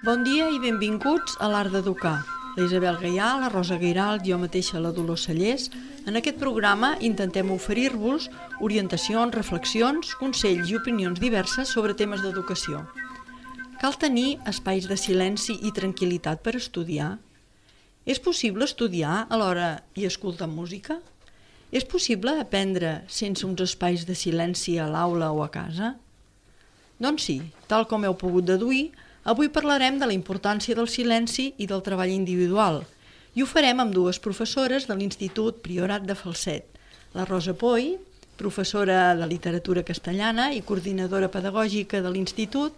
Bon dia i benvinguts a l'Art d'Educar. La Isabel Gaià, la Rosa Guiralt, jo mateixa, la Dolors Cellers. En aquest programa intentem oferir-vos orientacions, reflexions, consells i opinions diverses sobre temes d'educació. Cal tenir espais de silenci i tranquil·litat per estudiar? És possible estudiar alhora i escoltar música? És possible aprendre sense uns espais de silenci a l'aula o a casa? Doncs sí, tal com heu pogut deduir, avui parlarem de la importància del silenci i del treball individual i ho farem amb dues professores de l'Institut Priorat de Falset, la Rosa Poy, professora de literatura castellana i coordinadora pedagògica de l'Institut,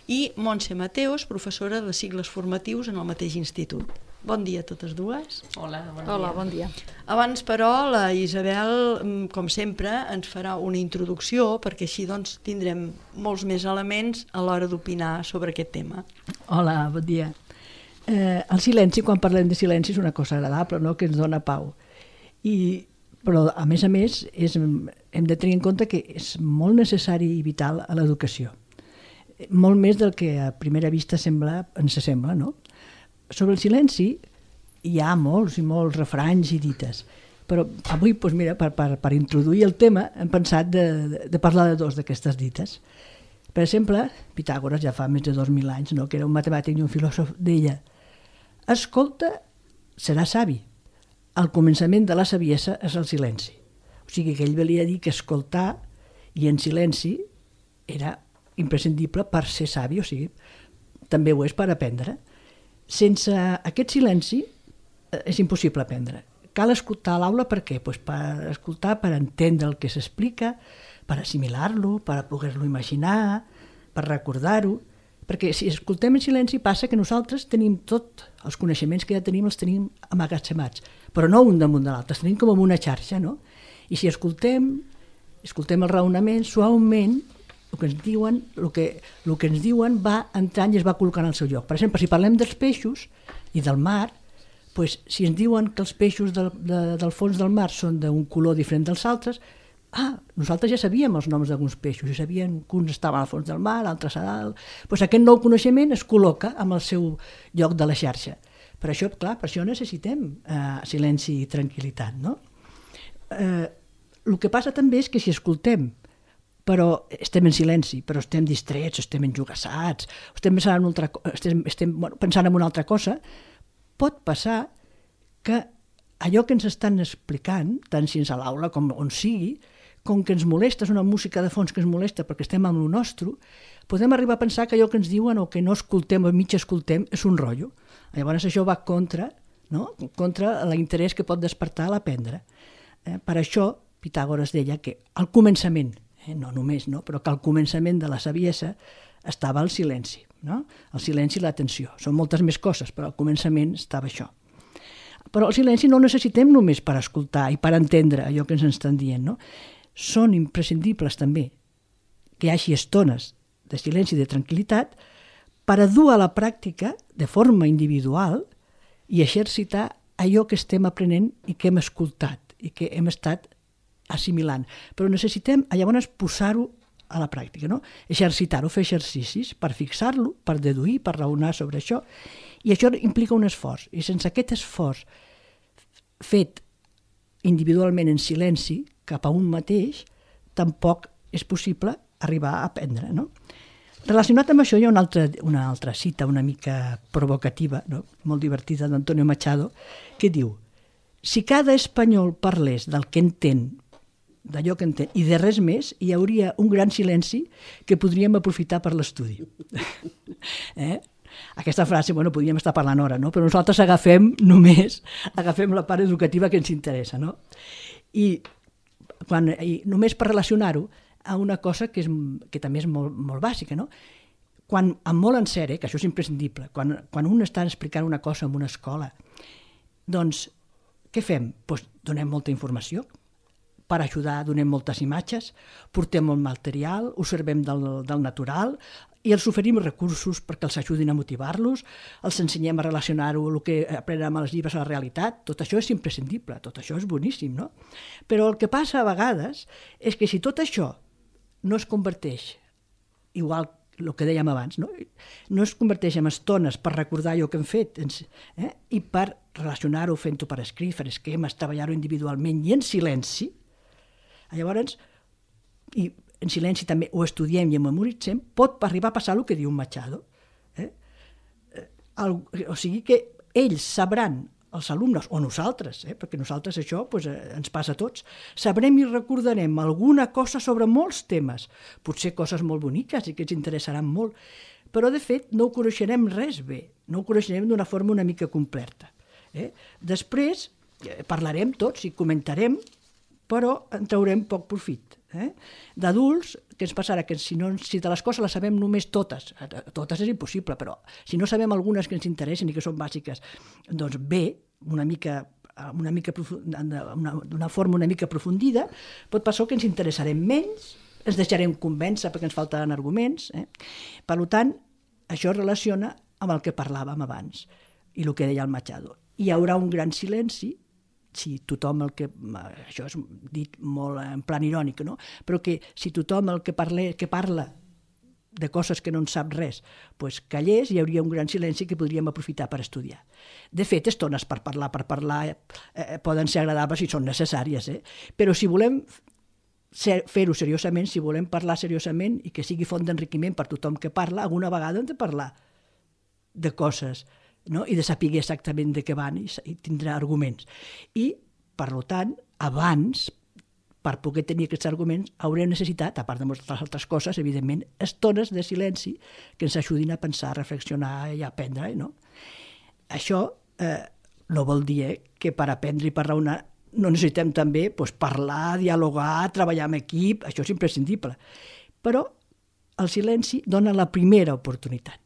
i Montse Mateos, professora de cicles formatius en el mateix institut. Bon dia a totes dues. Hola, bon dia. Hola, bon dia. Abans, però, la Isabel, com sempre, ens farà una introducció perquè així doncs, tindrem molts més elements a l'hora d'opinar sobre aquest tema. Hola, bon dia. El silenci, quan parlem de silenci, és una cosa agradable, no?, que ens dona pau. Però, a més, hem de tenir en compte que és molt necessari i vital a l'educació. Molt més del que a primera vista ens sembla, no? Sobre el silenci hi ha molts i molts refranys i dites, però avui, doncs mira, per introduir el tema hem pensat de parlar de dos d'aquestes dites. Per exemple, Pitàgores, ja fa més de 2.000 anys, no?, que era un matemàtic i un filòsof, deia: escolta, serà savi. El començament de la saviesa és el silenci. O sigui que ell volia dir que escoltar i en silenci era imprescindible per ser savi, o sigui, també ho és per aprendre. Sense aquest silenci és impossible aprendre. Cal escoltar a l'aula per què? Pues per escoltar, per entendre el que s'explica, per assimilar-lo, per poder-lo imaginar, per recordar-ho. Perquè si escoltem en silenci passa que nosaltres tenim tots els coneixements que ja tenim, els tenim amagatzemats, però no un damunt de l'altre, els tenim com en una xarxa, no? I si escoltem el raonament suaument, el que ens diuen va entrant i es va col·locant al seu lloc. Per exemple, si parlem dels peixos i del mar, doncs, si ens diuen que els peixos del fons del mar són d'un color diferent dels altres, nosaltres ja sabíem els noms d'alguns peixos, ja sabíem que uns estaven al fons del mar, altres a dalt. Doncs aquest nou coneixement es col·loca en el seu lloc de la xarxa. Per això, clar, per això necessitem silenci i tranquil·litat, no? El que passa també és que si escoltem però estem en silenci, però estem distrets, estem enjogassats, estem pensant en una altra cosa, pot passar que allò que ens estan explicant, tant si és a l'aula com on sigui, com que ens molesta, és una música de fons que ens molesta perquè estem amb el nostre, podem arribar a pensar que allò que ens diuen o que no escoltem o mig escoltem és un rotllo. Llavors això va contra l'interès que pot despertar a l'aprendre. Per això Pitàgores deia que al començament, no només, no? Però que al començament de la saviesa estava el silenci, no? El silenci i l'atenció. Són moltes més coses, però al començament estava això. Però el silenci no el necessitem només per escoltar i per entendre allò que ens estan dient, no? Són imprescindibles també que hi hagi estones de silenci i de tranquil·litat per a dur a la pràctica de forma individual i exercitar allò que estem aprenent i que hem escoltat i que hem estat assimilant, però necessitem llavors posar-ho a la pràctica, no? Exercitar-ho, fer exercicis per fixar-lo, per deduir, per raonar sobre això, i això implica un esforç, i sense aquest esforç fet individualment en silenci cap a un mateix, tampoc és possible arribar a aprendre, no? Relacionat amb això hi ha una altra cita una mica provocativa, no?, molt divertida, d'Antonio Machado, que diu: si cada espanyol parlés del que entén, d'allò que entén, i de res més, hi hauria un gran silenci que podríem aprofitar per l'estudi. Aquesta frase, podríem estar parlant hora, no? Però nosaltres agafem la part educativa que ens interessa, no? I només per relacionar-ho a una cosa que també és molt, molt bàsica, no? Quan, amb molt en sèrie, que això és imprescindible, quan un està explicant una cosa en una escola, doncs, què fem? Doncs donem molta informació. Per ajudar donem moltes imatges, portem molt material, observem del natural, i els oferim recursos perquè els ajudin a motivar-los, els ensenyem a relacionar-ho, el que aprenem als llibres, a la realitat. Tot això és imprescindible, tot això és boníssim, no? Però el que passa a vegades és que si tot això no es converteix, igual el que dèiem abans, no es converteix en estones per recordar allò que hem fet i per relacionar-ho, fent-ho per escrit, fer esquemes, treballar-ho individualment i en silenci, llavors, i en silenci també ho estudiem i ho memoritzem, pot arribar a passar el que diu Machado. O sigui que ells sabran, els alumnes, o nosaltres, perquè nosaltres això ens passa a tots, sabrem i recordarem alguna cosa sobre molts temes, potser coses molt boniques i que ens interessaran molt, però de fet no ho coneixerem res bé, no ho coneixerem d'una forma una mica completa. Després parlarem tots i comentarem, però en traurem poc profit. D'adults, què ens passarà? Que si de les coses les sabem només totes és impossible, però si no sabem algunes que ens interessen i que són bàsiques, doncs bé, d'una forma una mica aprofundida, pot passar que ens interessarem menys, ens deixarem convèncer perquè ens falten arguments. Per tant, això es relaciona amb el que parlàvem abans i el que deia el Machado. Hi haurà un gran silenci, si tothom això és dit molt en plan irònic, no? Però que si tothom que parla de coses que no en sap res, callés, hi hauria un gran silenci que podríem aprofitar per estudiar. De fet, estones per parlar poden ser agradables i són necessàries, però si volem fer-ho seriosament, si volem parlar seriosament i que sigui font d'enriquiment per tothom que parla, alguna vegada hem de parlar de coses, no? I de saber exactament de què van i tindrà arguments. I, per tant, abans, per poder tenir aquests arguments, haurem necessitat, a part de moltes altres coses, evidentment, estones de silenci que ens ajudin a pensar, a reflexionar i a aprendre. No? Això no vol dir que per aprendre i per raonar no necessitem també parlar, dialogar, treballar en equip, això és imprescindible. Però el silenci dona la primera oportunitat.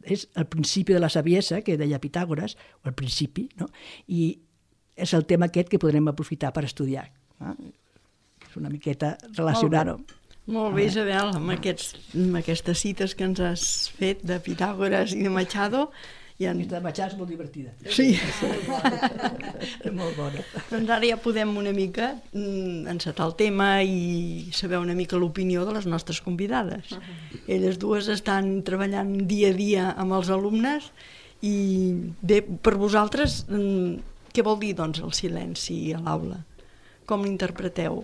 És el principi de la saviesa, que deia Pitàgores, o el principi, no? I és el tema aquest que podrem aprofitar per estudiar. És una miqueta relacionar-ho. Molt bé, Isabel, amb aquestes cites que ens has fet de Pitàgores i de Machado. La de Machado és molt divertida. Sí. Molt bona. Doncs ara ja podem una mica encetar el tema i saber una mica l'opinió de les nostres convidades. Elles dues estan treballant dia a dia amb els alumnes i bé, per vosaltres, què vol dir doncs el silenci a l'aula? Com l'interpreteu?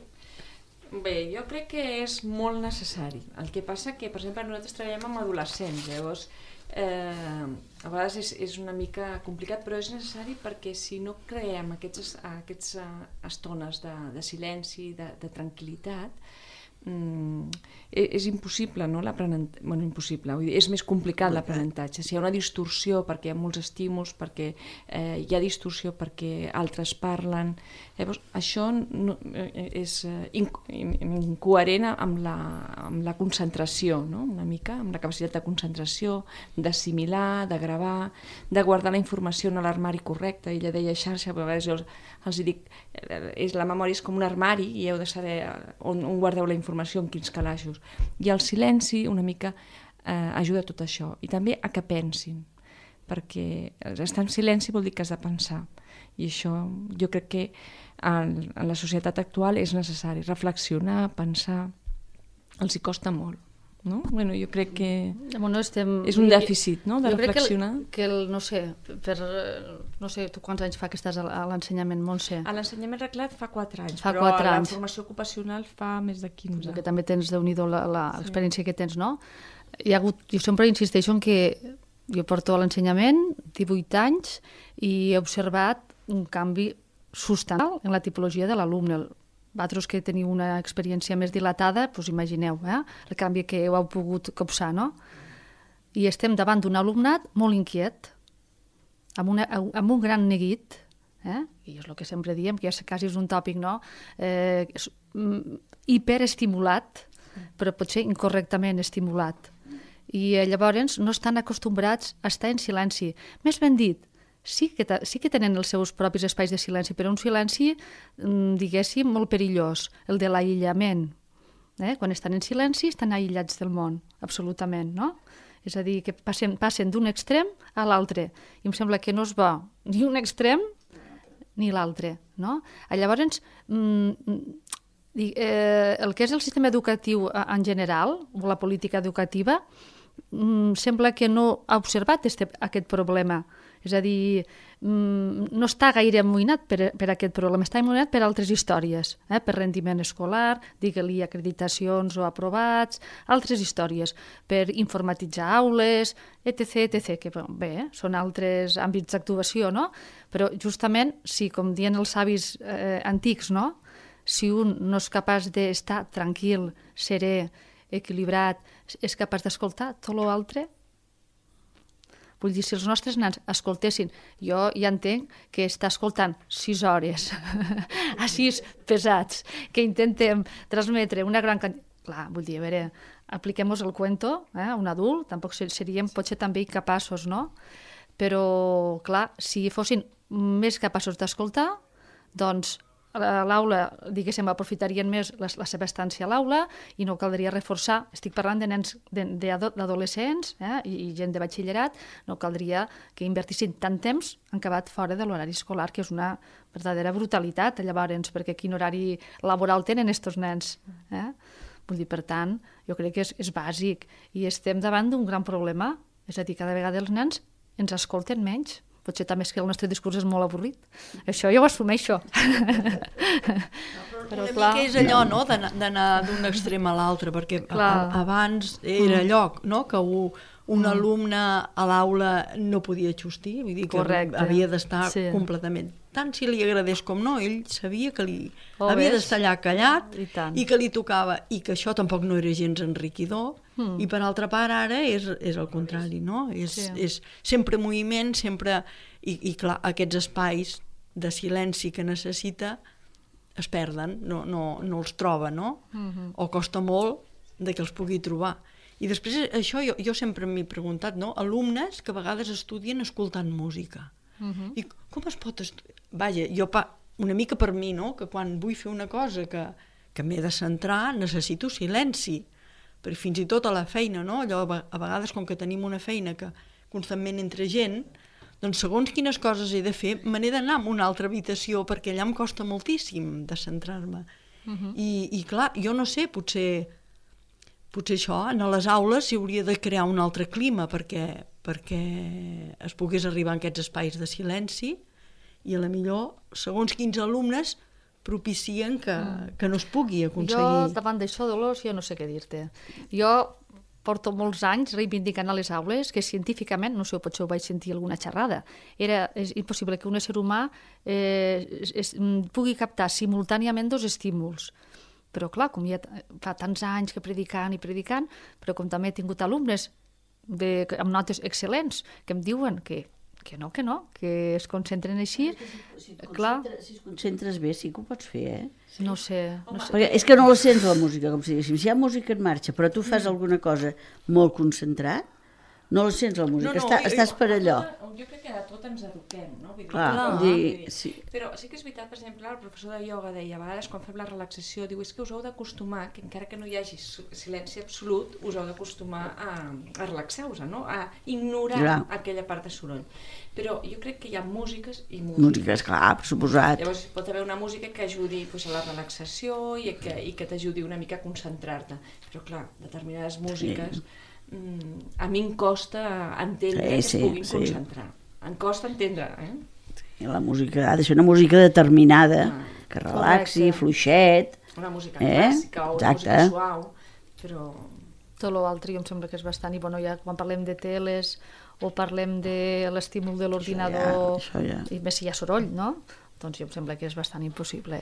Bé, jo crec que és molt necessari. El que passa que, per exemple, nosaltres treballem amb adolescents, llavors a vegades és una mica complicat, però és necessari perquè si no creem aquestes estones de silenci, de tranquil·litat, és impossible, no? Impossible, vull dir, és més complicat l'aprenentatge. Si hi ha una distorsió perquè hi ha molts estímuls, perquè hi ha distorsió perquè altres parlen, llavors això és incoherent amb la concentració, no? Una mica, amb la capacitat de concentració, d'assimilar, de gravar, de guardar la informació en l'armari correcte. Ella deia xarxa, però a vegades jo els dic, la memòria és com un armari i heu de saber on guardeu la informació, en quins calaixos. I el silenci una mica ajuda a tot això. I també a que pensin, perquè estar en silenci vol dir que has de pensar. I això jo crec que en la societat actual és necessari. Reflexionar, pensar, els hi costa molt. No? Bueno, jo crec que és un dèficit, no? De reflexionar. Que no sé, tu quants anys fa que estàs a l'ensenyament, Montse? A l'ensenyament reglat fa 4 anys, però a la formació ocupacional fa més de 15. Que també tens, Déu-n'hi-do, l'experiència que tens, no? Jo sempre insisteixo en que jo porto a l'ensenyament 18 anys i he observat un canvi substancial en la tipologia de l'alumne. Vosaltres que teniu una experiència més dilatada, doncs imagineu el canvi que heu pogut copsar, no? I estem davant d'un alumnat molt inquiet, amb un gran neguit, i és el que sempre diem, que ja quasi és un tòpic, no? Hiperestimulat, però potser incorrectament estimulat. I llavors no estan acostumbrats a estar en silenci. Més ben dit, sí que tenen els seus propis espais de silenci, però un silenci, diguéssim, molt perillós, el de l'aïllament. Quan estan en silenci estan aïllats del món, absolutament, no? És a dir, que passen d'un extrem a l'altre. I em sembla que no es va ni un extrem ni l'altre, no? Llavors, el que és el sistema educatiu en general, o la política educativa, sembla que no ha observat aquest problema. És a dir, no està gaire amoïnat per aquest problema, està amoïnat per altres històries, per rendiment escolar, digue-li acreditacions o aprovats, altres històries, per informatitzar aules, etc., que bé, són altres àmbits d'actuació, no? Però justament, si, com diuen els savis antics, no? Si un no és capaç d'estar tranquil, serè, equilibrat, és capaç d'escoltar tot l'altre. Vull dir, si els nostres nens escoltessin, jo ja entenc que està escoltant 6 hores, a 6 pesats, que intentem transmetre una gran quantitat. Clar, vull dir, a veure, apliquem-nos el cuento, a un adult, tampoc seríem potser també incapaços, no? Però, clar, si fossin més capaços d'escoltar, doncs a l'aula, diguéssim, aprofitarien més la seva estància a l'aula i no caldria reforçar. Estic parlant de nens, d'adolescents i gent de batxillerat, no caldria que invertissin tant temps en acabat fora de l'horari escolar, que és una verdadera brutalitat, llavors, perquè quin horari laboral tenen estos nens. Vull dir, per tant, jo crec que és bàsic i estem davant d'un gran problema, és a dir, cada vegada els nens ens escolten menys. Potser també és que el nostre discurs és molt avorrit. Això jo ho assumeixo. Però clar, que és allò, no?, d'anar d'un extrem a l'altre, perquè abans era allò, no?, que un alumne a l'aula no podia xustir, vull dir que havia d'estar completament. Tant si li agradés com no, ell sabia que havia d'estar allà callat i que li tocava, i que això tampoc no era gens enriquidor. I per altra part ara és el contrari, no? És sempre moviment, sempre... I clar, aquests espais de silenci que necessita es perden, no els troba, no? O costa molt que els pugui trobar. I després això jo sempre m'he preguntat, no? Alumnes que a vegades estudien escoltant música. I com es pot estudiar? Vaja, una mica per mi, no? Que quan vull fer una cosa que m'he de centrar necessito silenci. Perquè fins i tot a la feina, no? Allò, a vegades, com que tenim una feina que constantment entra gent, doncs segons quines coses he de fer, me n'he d'anar a una altra habitació, perquè allà em costa moltíssim de centrar-me. I clar, jo no sé, potser això, en les aules s'hi hauria de crear un altre clima perquè es pogués arribar a aquests espais de silenci i a la millor, segons quins alumnes, propicien que no es pugui aconseguir. Jo, davant d'això, Dolors, jo no sé què dir-te. Jo porto molts anys reivindicant a les aules que científicament, no sé, potser ho vaig sentir alguna xerrada, és impossible que un ésser humà pugui captar simultàniament 2 estímuls. Però clar, com ja fa tants anys que predicant, però com també he tingut alumnes amb notes excel·lents que em diuen que es concentren així. Si es concentres bé, sí que ho pots fer, No sé. Perquè és que no la sents, la música, com si diguéssim. Si hi ha música en marxa, però tu fas alguna cosa molt concentrat, no la sents, la música. Estàs per allò. Jo crec que a tot ens eduquem, no? Però sí que és veritat, per exemple, el professor de ioga deia, a vegades quan fem la relaxació, diu, és que us heu d'acostumar, que encara que no hi hagi silenci absolut, us heu d'acostumar a relaxar-vos, no? A ignorar aquella part de soroll. Però jo crec que hi ha músiques i músiques. Músiques, clar, per suposat. Llavors pot haver una música que ajudi a la relaxació i que t'ajudi una mica a concentrar-te. Però clar, determinades músiques a mi em costa entendre que es puguin concentrar. Em costa entendre, La música ha de ser una música determinada, que relaxi, fluixet. Una música clàssica o una música suau, però... Tot l'altre jo em sembla que és bastant... I bueno, ja quan parlem de teles o parlem de l'estímul de l'ordinador, i més si hi ha soroll, no? Doncs jo em sembla que és bastant impossible,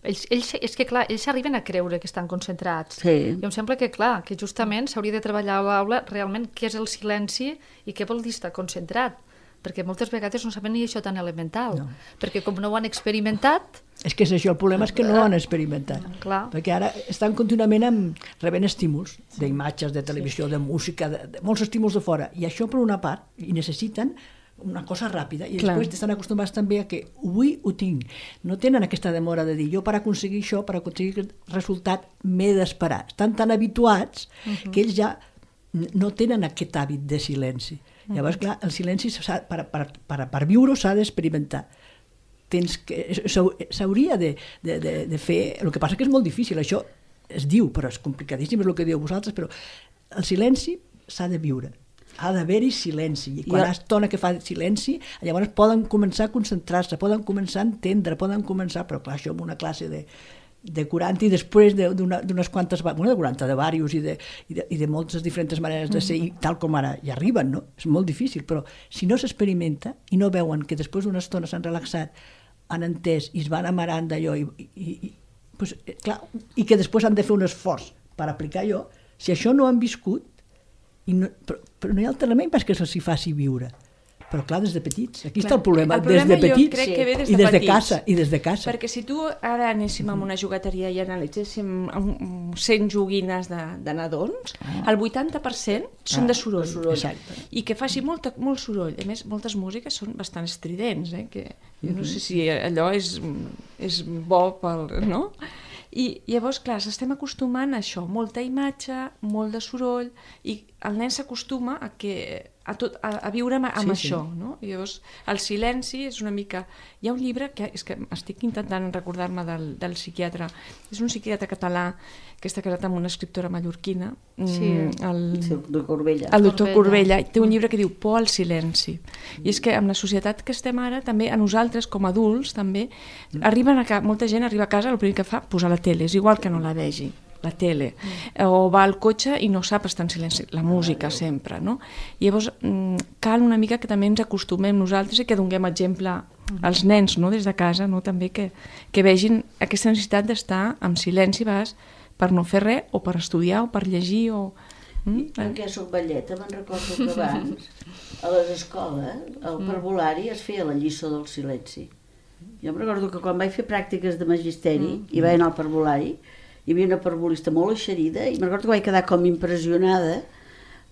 és que clar, ells arriben a creure que estan concentrats. Jo em sembla que clar, que justament s'hauria de treballar a l'aula realment què és el silenci i què vol dir estar concentrat, perquè moltes vegades no saben ni això tan elemental, perquè com no ho han experimentat... És que és això, el problema és que no ho han experimentat, perquè ara estan contínuament rebent estímuls d'imatges, de televisió, de música, de molts estímuls de fora, i això per una part, i necessiten una cosa ràpida, i després estan acostumats també a que avui ho tinc. No tenen aquesta demora de dir, jo per aconseguir això, per aconseguir aquest resultat, m'he d'esperar. Estan tan habituats que ells ja no tenen aquest hàbit de silenci. Llavors, clar, el silenci per viure s'ha d'experimentar. S'hauria de fer... El que passa que és molt difícil, això es diu, però és complicadíssim, és el que diu vosaltres, però el silenci s'ha de viure. Ha d'haver-hi silenci, i quan estona que fa silenci, llavors poden començar a concentrar-se, poden començar a entendre, poden començar, però clar, això en una classe de 40 i després d'unes quantes, de 40, de diversos i de moltes diferents maneres de ser, tal com ara hi arriben, no? És molt difícil, però si no s'experimenta i no veuen que després d'una estona s'han relaxat, han entès i es van amarant d'allò i que després han de fer un esforç per aplicar allò, si això no han viscut, però no hi ha altre remei perquè se'ls faci viure. Però clar, des de petits. Aquí està el problema des de petits i des de casa. Perquè si tu ara anéssim a una jugueteria i analitzéssim 100 joguines de nadons, el 80% són de soroll. I que faci molt soroll. A més, moltes músiques són bastant estridents, que jo no sé si allò és bo pel... no? I llavors, clar, s'estem acostumant a això, molta imatge, molt de soroll, i el nen s'acostuma a viure amb això, no? I llavors, el silenci és una mica... Hi ha un llibre que estic intentant recordar-me del psiquiatre, és un psiquiatre català que està casat amb una escriptora mallorquina, el doctor Corbella, té un llibre que diu Por al silenci. I és que amb la societat que estem ara, també a nosaltres, com a adults, també, molta gent arriba a casa, el primer que fa, posar la tele, és igual que no la vegi, la tele, o va al cotxe i no sap estar en silenci, la música sempre, no? I llavors cal una mica que també ens acostumem nosaltres i que donem exemple als nens, no? Des de casa, no? També que vegin aquesta necessitat d'estar en silenci per no fer res, o per estudiar, o per llegir, o... Perquè soc velleta, me'n recordo que abans a les escoles, al parvulari es feia la lliçó del silenci. Jo em recordo que quan vaig fer pràctiques de magisteri i vaig anar al parvulari, hi havia una parvulista molt eixerida i me'n recordo que vaig quedar com impressionada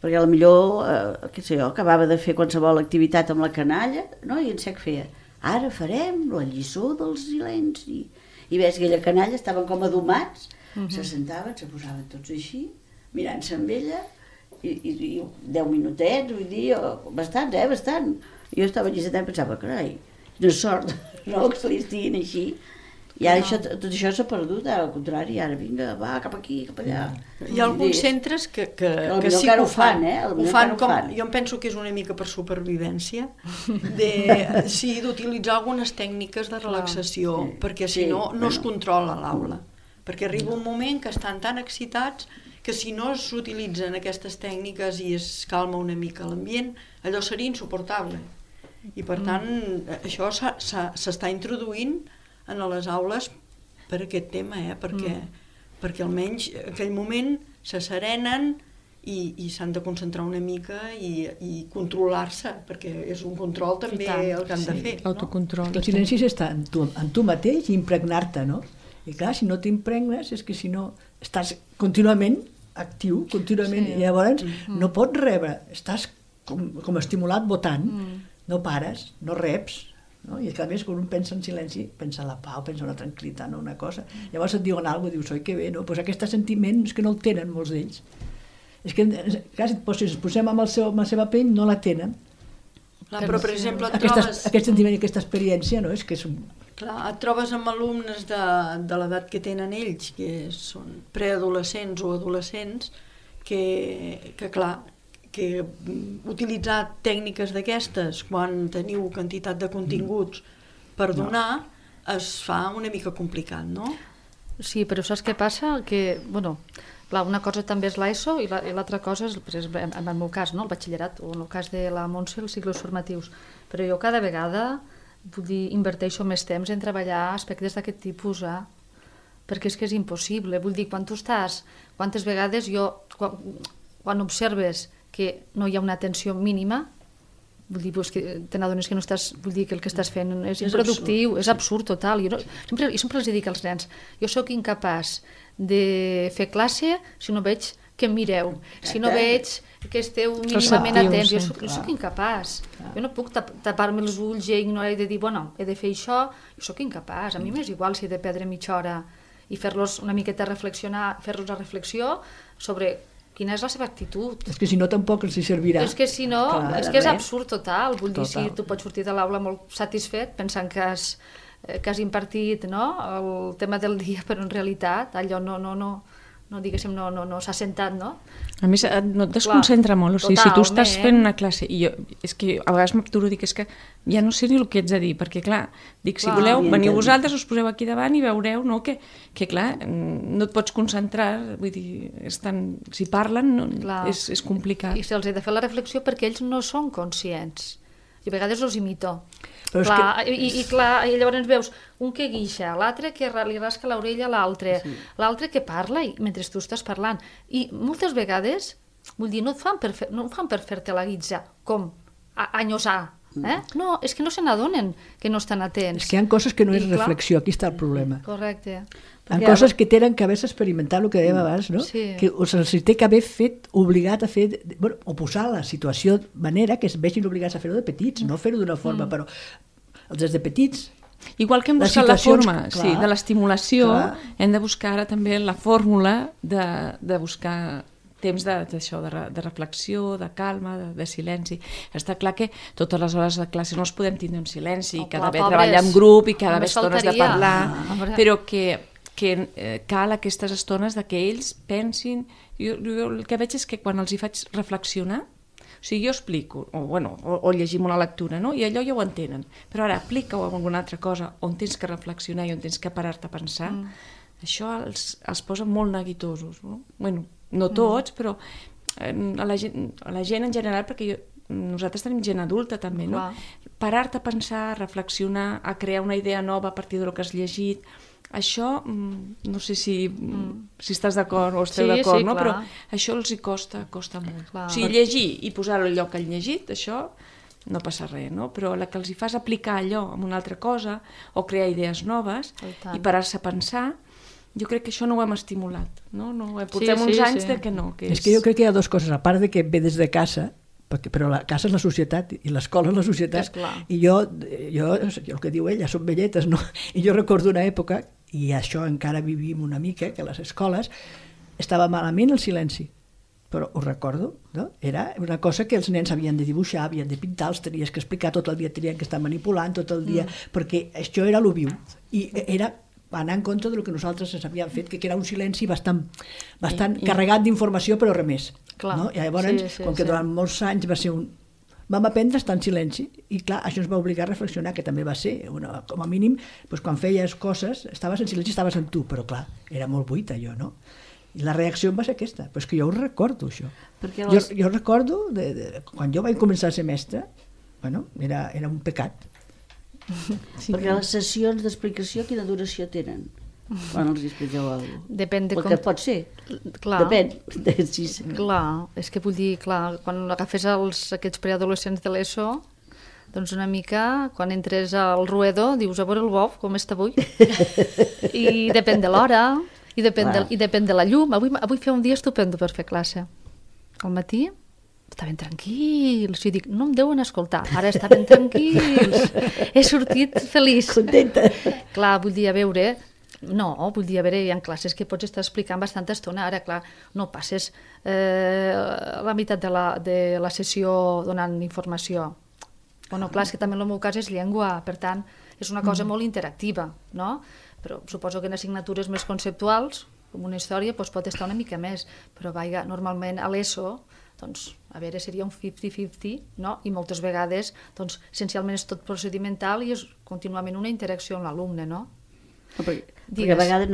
perquè potser, què sé jo, acabava de fer qualsevol activitat amb la canalla, no? I en sec feia, ara farem la lliçó del silenci. I veus que aquella canalla estaven com adomats, se sentaven, se posaven tots així, mirant-se amb ella, i 10 minutets, vull dir, bastants, bastant. I jo estava allà sentat i pensava, carai, quina sort, no, que se li estiguin així. I ara tot això s'ha perdut, al contrari, ara vinga, va, cap aquí, cap allà. Hi ha alguns centres que sí que ho fan, ho fan com, jo em penso que és una mica per supervivència, d'utilitzar algunes tècniques de relaxació, perquè si no, no es controla l'aula. Perquè arriba un moment que estan tan excitats que si no s'utilitzen aquestes tècniques i es calma una mica l'ambient, allò seria insuportable. I per tant, això s'està introduint en les aules per aquest tema, perquè almenys en aquell moment se serenen i s'han de concentrar una mica i controlar-se, perquè és un control també el que han de fer. Autocontrol. El silenci està en tu mateix i impregnar-te, no? I clar, si no t'impregnes és que si no estàs contínuament actiu, contínuament, i llavors no pots rebre, estàs com estimulat votant, no pares, no reps, no? I a més, quan un pensa en silenci, pensa en la pau, pensa en la tranquil·litat, no una cosa. Llavors et diuen alguna cosa, dius, oi, que bé, no? Pues aquest sentiment és que no el tenen molts d'ells. És que, clar, si ens posem amb la seva pell, no la tenen. Però, per exemple, aquest sentiment i aquesta experiència, no? És que és un... Clar, et trobes amb alumnes de l'edat que tenen ells, que són preadolescents o adolescents, que clar, que utilitzar tècniques d'aquestes quan teniu quantitat de continguts per donar es fa una mica complicat, no? Sí, però saps què passa? Que, bueno, clar, una cosa també és l'ESO i l'altra cosa és, per exemple, en el meu cas, no? El batxillerat, o en el cas de la Montse, els cicles formatius. Però jo cada vegada inverteixo més temps en treballar aspectes d'aquest tipus, perquè és que és impossible. Vull dir, quan tu estàs, quantes vegades quan observes que no hi ha una atenció mínima, vull dir, que te n'adones que no estàs, vull dir que el que estàs fent és improductiu, és absurd total. Jo sempre els dic als nens, jo sóc incapaç de fer classe si no veig que em mireu. Si no veig que esteu mínimament atents, jo soc incapaç. Jo no puc tapar-me els ulls i ignorar i de dir, bueno, he de fer això, jo soc incapaç. A mi m'és igual si he de perdre mitja hora i fer-los una miqueta reflexionar, fer-los la reflexió sobre quina és la seva actitud. És que si no tampoc els hi servirà. És que si no, és que és absurd total. Vull dir, si tu pots sortir de l'aula molt satisfet pensant que has impartit el tema del dia, però en realitat allò no diguéssim, no s'ha sentat, no? A més, no et desconcentra molt, o sigui, si tu estàs fent una classe, i jo, és que a vegades m'aturo, dic, és que ja no sé ni el que ets a dir, perquè clar, dic, si voleu, veniu vosaltres, us poseu aquí davant i veureu, no?, que clar, no et pots concentrar, vull dir, si parlen, és complicat. I se'ls he de fer la reflexió perquè ells no són conscients. Jo a vegades els imito. I llavors veus un que guixa, l'altre que li rasca l'orella a l'altre, l'altre que parla mentre tu estàs parlant. I moltes vegades, vull dir, no ho fan per fer-te la guitza, com anyosar. No, és que no se n'adonen que no estan atents. És que hi ha coses que no és reflexió, aquí està el problema. Correcte. Hi ha coses que tenen que haver experimentat, el que dèiem abans, no? Que se'ls té que haver fet, obligat a fer, o posar la situació de manera que es vegin obligats a fer-ho de petits, no fer-ho d'una forma, però des de petits... Igual que hem buscat la forma de l'estimulació, hem de buscar ara també la fórmula de buscar temps d'això, de reflexió, de calma, de silenci. Està clar que totes les hores de classe no es podem tindre en silenci, que ha d'haver treballar en grup i que ha d'haver estones de parlar, però que cal aquestes estones que ells pensin. Jo el que veig és que quan els hi faig reflexionar, o sigui, jo explico, o llegim una lectura, no? I allò ja ho entenen, però ara aplica-ho a alguna altra cosa on tens que reflexionar i on tens que parar-te a pensar, això els posa molt neguitosos, no? Bueno, no tots, però a la gent en general, perquè nosaltres tenim gent adulta també, no? Parar-te a pensar, a reflexionar, a crear una idea nova a partir del que has llegit, això, no sé si estàs d'acord o esteu d'acord, no? Però això els hi costa molt. O sigui, llegir i posar-ho al lloc que han llegit, això no passa res, no? Però la que els hi fas aplicar allò amb una altra cosa o crear idees noves i parar-se a pensar, jo crec que això no ho hem estimulat, no? Portem uns anys de que no. És que jo crec que hi ha dues coses, a part de que ve des de casa, però la casa és la societat i l'escola és la societat, i jo el que diu ella, són velletes, no? I jo recordo una època, i això encara vivim una mica, que a les escoles estava malament el silenci, però ho recordo, no? Era una cosa que els nens havien de dibuixar, havien de pintar, els tenies que explicar, tot el dia tenien que estar manipulant, tot el dia, perquè això era lo viu, i era anar en compte del que nosaltres ens havíem fet, que era un silenci bastant carregat d'informació, però res més. No? I llavors, com que durant molts anys va ser vam aprendre a estar en silenci, i clar, això ens va obligar a reflexionar, que també va ser, com a mínim, quan feies coses, estaves en silenci, estaves en tu, però clar, era molt buit allò, no? I la reacció va ser aquesta, però és que jo ho recordo, això. Jo recordo, quan jo vaig començar a ser mestra, era un pecat. Perquè les sessions d'explicació quina duració tenen quan els expliqueu alguna cosa? Depèn de com... que pot ser. Depèn. Clar, és que vull dir, quan agafes aquests preadolescents de l'ESO, doncs una mica, quan entres al ruedo, dius, a veure el bou, com està avui? I depèn de l'hora, i depèn de la llum. Avui feia un dia estupendo per fer classe. Al matí estaven tranquils, i dic, no em deuen escoltar, ara estaven tranquils, he sortit feliç. Contenta. Clar, vull dir, hi ha classes que pots estar explicant bastanta estona, ara, clar, no passes la meitat de la sessió donant informació. Clar, és que també en el meu cas és llengua, per tant, és una cosa molt interactiva, no? Però suposo que en assignatures més conceptuals, com una història, pot estar una mica més, però normalment a l'ESO, doncs, a veure, seria un 50-50, no? I moltes vegades, doncs, essencialment és tot procedimental i és contínuament una interacció amb l'alumne, no? Perquè a vegades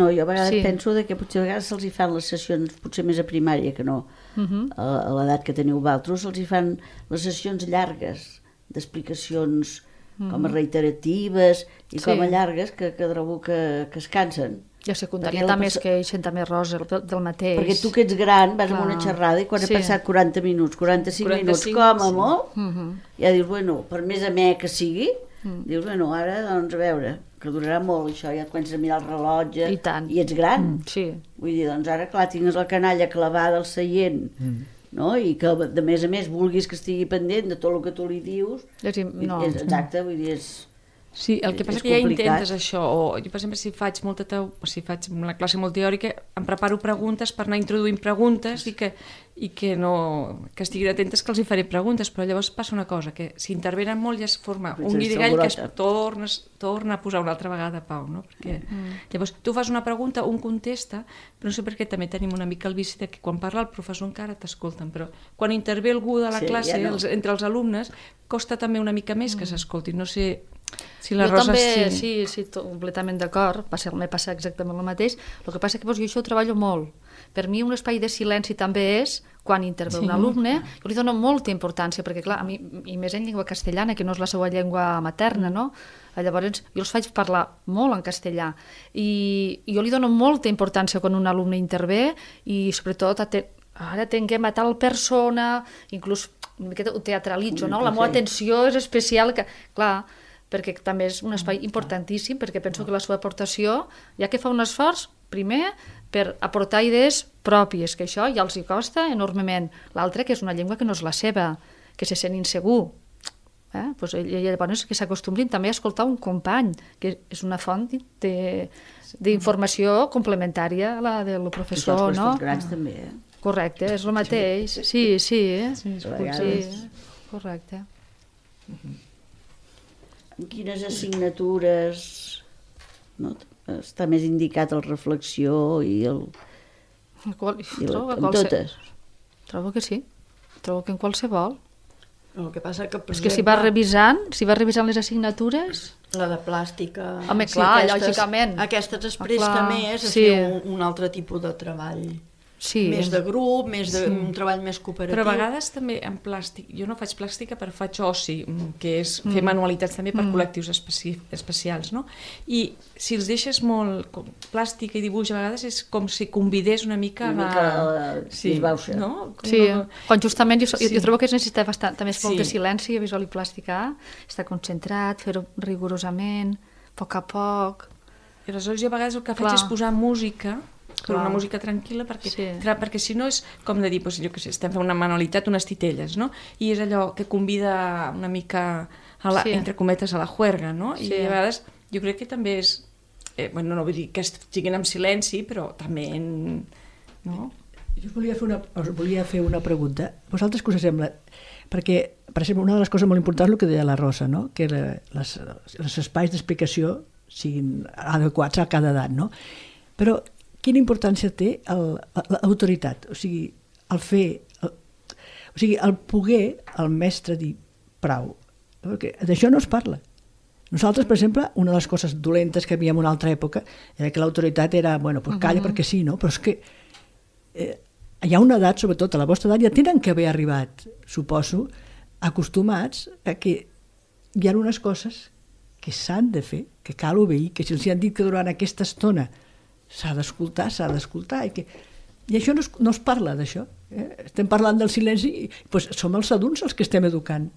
penso que potser a vegades se'ls hi fan les sessions, potser més a primària que no, a l'edat que teniu vosaltres, se'ls hi fan les sessions llargues, d'explicacions com a reiteratives i com a llargues, que trobo que es cansen. I a secundària també es queixen també rosa del mateix. Perquè tu que ets gran vas amb una xerrada i quan has passat 40 minuts, 45 minuts, com a molt, ja dius, per més amè que sigui, Dius, bueno, ara, doncs, a veure, que durarà molt això, ja et comences a mirar el rellotge I tant. i ets gran. Sí. Vull dir, doncs ara, clar, tingues la canalla clavada al seient, no? I que, de més a més, vulguis que estigui pendent de tot el que tu li dius. No. Exacte, vull dir, és... Sí, el que passa És que ja complicat. intentes això, o jo per exemple si faig una classe molt teòrica em preparo preguntes per anar introduint preguntes i que estiguin atentes que els hi faré preguntes, però llavors passa una cosa, que si intervenen molt ja es forma un guirigall que es torna a posar una altra vegada a pau, no? Perquè llavors tu fas una pregunta, un contesta, però no sé per què també tenim una mica el vici de que quan parla el professor encara t'escolten, però quan intervé algú de la classe, ja no. entre els alumnes, costa també una mica més que s'escoltin, no sé... Si Jo també, sí, completament d'acord, me passa exactament el mateix. El que passa que jo això ho treballo molt. Per mi un espai de silenci també és quan intervé un alumne, jo li dono molta importància, perquè clar, a mi, i més en llengua castellana, que no és la seva llengua materna, no? Llavors jo els faig parlar molt en castellà i jo li dono molta importància quan un alumne intervé i sobretot ara tinguem a tal persona, inclús una miqueta ho teatralitzo, no? La meva atenció és especial, clar, perquè també és un espai importantíssim, perquè penso que la seva aportació, ja que fa un esforç, primer, per aportar idees pròpies, que això ja els hi costa enormement. L'altre, que és una llengua que no és la seva, que se sent insegur. Pues llavors que s'acostumbrin també a escoltar un company, que és una font d'informació complementària a la del professor, no? Els grans també, Correcte, és el mateix. Sí, correcte. En quines assignatures està més indicat la reflexió i el... En totes? Trobo que sí. Trobo que en qualsevol. El que passa que, per és que si vas revisant les assignatures... La de plàstica... Home, clar, lògicament. Aquestes es presta més a fer un altre tipus de treball. Sí. Més de grup, un treball més cooperatiu. Però a vegades també en plàstic, jo no faig plàstica però faig oci, que és fer manualitats també per col·lectius especials, no? I si els deixes molt plàstica i dibuix, a vegades és com si convidés una mica disbauxa. No? Sí, quan justament jo trobo que es necessita bastant, també és molt de silenci a visual i plàstica, estar concentrat, fer-ho rigorosament, a poc. I aleshores jo a vegades el que faig és posar música, però una música tranquil·la, perquè si no és com de dir, jo què sé, estem fent una manualitat, unes titelles, no? I és allò que convida una mica, entre cometes, a la juerga, no? I a vegades jo crec que també és, no vull dir que estiguin en silenci, però també no? Jo us volia fer una pregunta. Vosaltres què us sembla? Perquè, per exemple, una de les coses molt importants és el que deia la Rosa, no? Que els espais d'explicació siguin adequats a cada edat, no? Però quina importància té l'autoritat? O sigui, el poder el mestre dir prou. Perquè d'això no es parla. Nosaltres, per exemple, una de les coses dolentes que havíem en una altra època era que l'autoritat era, calla perquè sí, no? Però és que hi ha una edat, sobretot a la vostra edat, ja tenen que haver arribat, suposo, acostumats a que hi ha unes coses que s'han de fer, que cal obeir, que si els han dit que durant aquesta estona s'ha d'escoltar, i això no es parla d'això. Estem parlant del silenci i som els adults els que estem educant.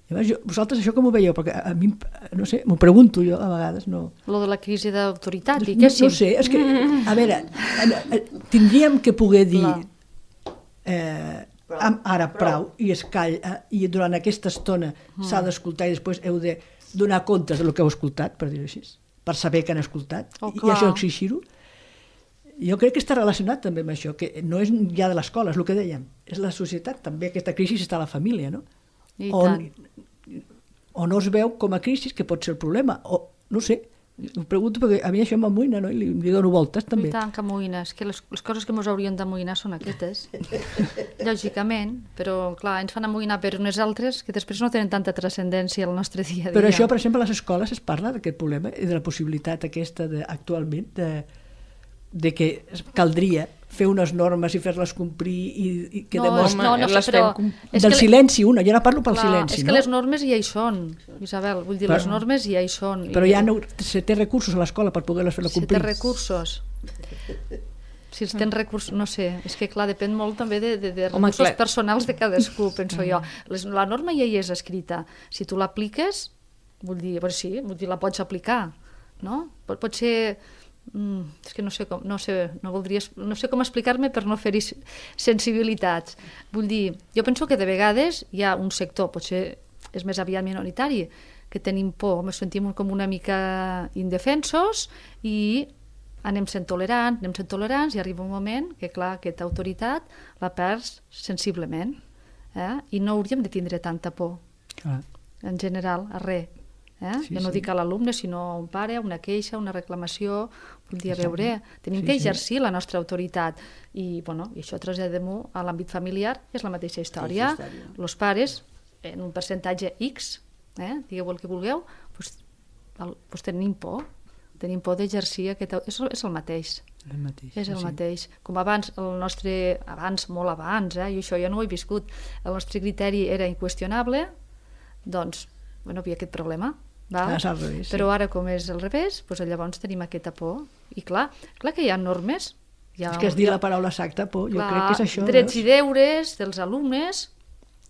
Vosaltres això com ho veieu? Perquè a mi, no sé, m'ho pregunto jo a vegades. Lo de la crisi d'autoritat, diguéssim. No sé, és que, a veure, tindríem que poder dir ara prou i es calla i durant aquesta estona s'ha d'escoltar i després heu de donar comptes del que heu escoltat, per dir-ho així, per saber que han escoltat i això exigir-ho. Jo crec que està relacionat també amb això, que no és ja de l'escola, és el que dèiem, és la societat, també aquesta crisi està a la família, no? O no es veu com a crisi, que pot ser el problema, o no sé, ho pregunto perquè a mi això m'amoïna, no? I li dono voltes també. I tant que amoïna, és que les coses que ens haurien d'amoïnar són aquestes, lògicament, però clar, ens fan amoïnar per unes altres que després no tenen tanta transcendència al nostre dia a dia. Però això, per exemple, a les escoles es parla d'aquest problema i de la possibilitat aquesta actualment de que caldria fer unes normes i fer-les complir i que demostren... Del silenci, jo no parlo pel silenci. És que les normes ja hi són, Isabel, vull dir, les normes ja hi són. Però ja se té recursos a l'escola per poder-les fer complir. Se té recursos. Si els tens recursos, no sé, és que clar, depèn molt també de recursos personals de cadascú, penso jo. La norma ja hi és escrita. Si tu l'apliques, Vull dir, però sí, la pots aplicar, no? Pot ser... és que no sé com explicar-me per no fer-hi sensibilitats. Vull dir, jo penso que de vegades hi ha un sector, potser és més aviat minoritari, que tenim por, ens sentim com una mica indefensos i anem sent tolerants i arriba un moment que, clar, aquesta autoritat la perds sensiblement, i no hauríem de tindre tanta por, en general, a res. Jo no dic a l'alumne, sinó a un pare, una queixa, una reclamació, vull dir, a veure, tenim que exercir la nostra autoritat i això traslladem-ho a l'àmbit familiar, és la mateixa història. Els pares, en un percentatge X, digueu el que vulgueu, doncs tenim por d'exercir aquest... És el mateix. És el mateix. Com abans, molt abans, i això jo no ho he viscut, el nostre criteri era inqüestionable, doncs, hi havia aquest problema. Però ara, com és al revés, llavors tenim aquesta por. I clar que hi ha normes. És que has dit la paraula exacta, por, jo crec que és això. Drets i deures dels alumnes,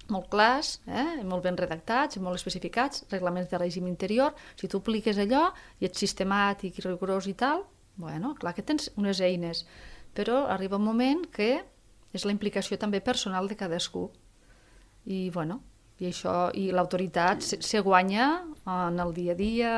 molt clars, molt ben redactats, molt especificats, reglaments de règim interior. Si tu apliques allò i ets sistemàtic i rigorós i tal, clar que tens unes eines, però arriba un moment que és la implicació també personal de cadascú. I l'autoritat se guanya en el dia a dia,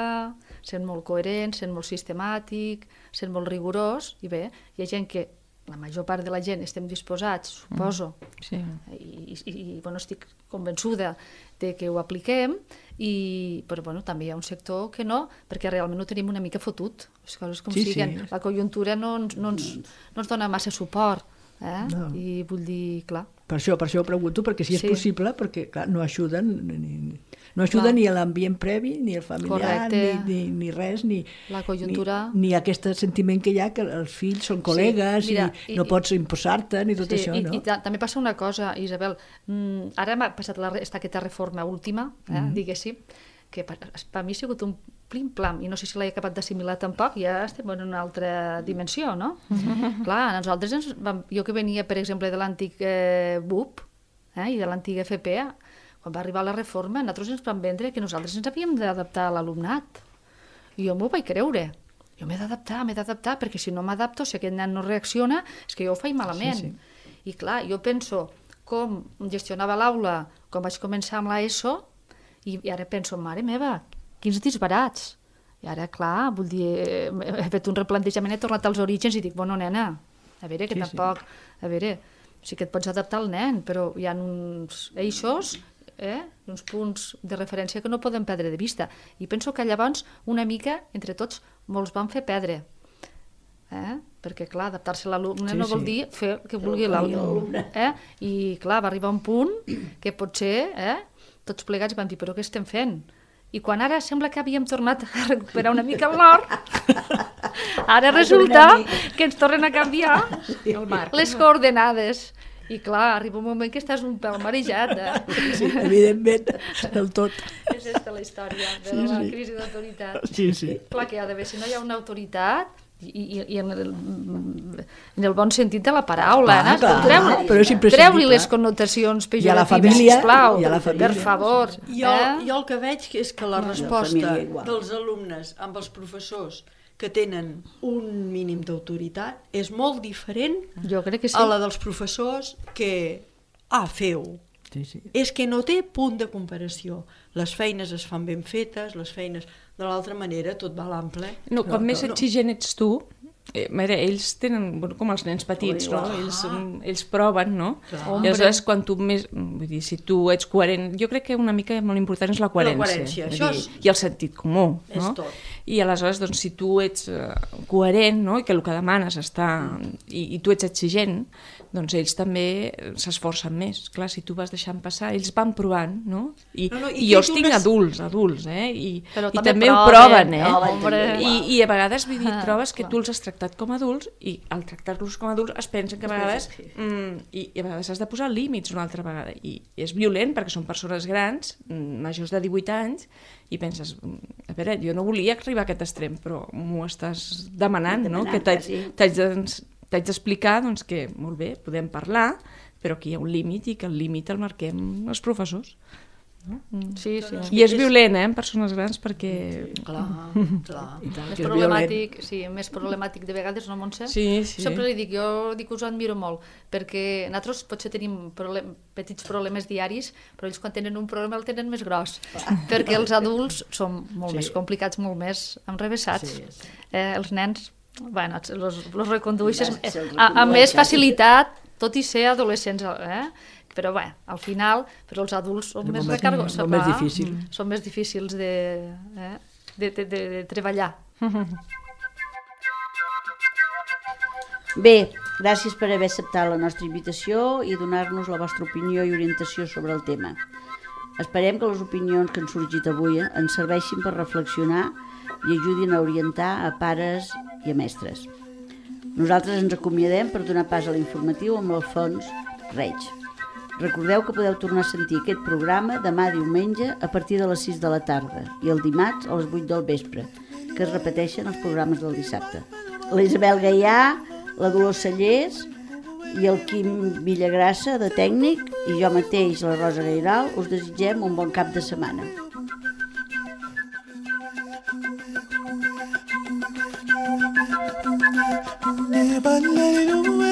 sent molt coherent, sent molt sistemàtic, sent molt rigorós, i bé, hi ha gent que, la major part de la gent estem disposats, suposo, i estic convençuda de que ho apliquem, però també hi ha un sector que no, perquè realment ho tenim una mica fotut, les coses com siguen. La conjuntura no ens dona massa suport, i vull dir, clar. Per això ho pregunto, perquè si és possible, perquè clar, no ajuden ni a l'ambient previ, ni al familiar, ni res, la conjuntura... ni aquest sentiment que hi ha, que els fills són col·legues i no pots imposar-te, ni tot això, no? I també passa una cosa, Isabel, ara m'ha passat aquesta reforma última, diguéssim, que per mi ha sigut un plim-plam, i no sé si l'he acabat d'assimilar tampoc, ja estem en una altra dimensió, no? Clar, nosaltres, jo que venia, per exemple, de l'antic BUP i de l'antiga FP, quan va arribar la reforma, nosaltres ens vam vendre que nosaltres ens havíem d'adaptar a l'alumnat. I jo m'ho vaig creure. Jo m'he d'adaptar, perquè si no m'adapto, si aquest nen no reacciona, és que jo ho faig malament. I clar, jo penso com gestionava l'aula quan vaig començar amb l'ESO, i ara penso, mare meva, quins disbarats. I ara, clar, vull dir, he fet un replantejament, he tornat als orígens i dic, bueno, nena, a veure, que tampoc... A veure, sí que et pots adaptar al nen, però hi ha uns eixos, uns punts de referència que no podem perdre de vista. I penso que llavors, una mica, entre tots, molts van fer perdre. Perquè, clar, adaptar-se a l'alumne no vol dir fer el que vulgui l'alumne. I, clar, va arribar un punt que potser... tots plegats van dir, però què estem fent? I quan ara sembla que havíem tornat a recuperar una mica el nord, ara resulta que ens tornen a canviar les coordenades. I clar, arriba un moment que estàs un pèl marejat. Sí, evidentment, del tot. És aquesta la història de la crisi d'autoritat. Sí. Clar que hi ha d'haver, si no hi ha una autoritat, i en el bon sentit de la paraula, treu-li les connotacions pejoratives, sisplau, per favor. Jo el que veig és que la resposta dels alumnes amb els professors que tenen un mínim d'autoritat és molt diferent a la dels professors que feu. És que no té punt de comparació. Les feines es fan ben fetes, les feines de l'altra manera, tot va a l'ample. No, quan més exigent ets tu, ells tenen, com els nens petits, no? Ells proven, no? I aleshores, quan tu més... Vull dir, si tu ets coherent... Jo crec que una mica molt important és la coherència. I el sentit comú, no? És tot. I aleshores, doncs, si tu ets coherent, no? I que el que demanes està... I tu ets exigent, doncs ells també s'esforcen més. Clar, si tu vas deixant passar, ells van provant, no? I jo els tinc adults, I també ho proven, I a vegades, vull dir, trobes que tu els has tractat com a adults i al tractar-los com a adults es pensen que a vegades i a vegades has de posar límits una altra vegada i és violent perquè són persones grans, majors de 18 anys i penses, a veure, jo no volia arribar a aquest extrem però m'ho estàs demanant, no? Que t'haig d'explicar doncs, que molt bé, podem parlar però que hi ha un límit i que el límit el marquem els professors. Sí, sí. I és violent, en persones grans, perquè... Clar, clar. I tant, Més que és problemàtic, sí, més problemàtic de vegades, no, Montse? Sí, sí. Sempre li dic, jo dic que us admiro molt, perquè nosaltres potser tenim petits problemes diaris, però ells quan tenen un problema el tenen més gros, perquè els adults són molt més complicats, molt més enrevessats. Els nens, bueno, los recondueixes amb més facilitat, tot i ser adolescents, però bé, al final, però els adults són més recargos, més difícil. Són més difícils de treballar. Bé, gràcies per haver acceptat la nostra invitació i donar-nos la vostra opinió i orientació sobre el tema. Esperem que les opinions que han sorgit avui ens serveixin per reflexionar i ajudin a orientar a pares i a mestres. Nosaltres ens acomiadem per donar pas a l'informatiu amb l'Alfons Reig. Recordeu que podeu tornar a sentir aquest programa demà diumenge a partir de les 6 de la tarda i el dimarts a les 8 del vespre, que es repeteixen els programes del dissabte. La Isabel Gaià, la Dolors Sallés i el Quim Villagrassa, de tècnic, i jo mateix, la Rosa Gairal, us desitgem un bon cap de setmana. Never let it away.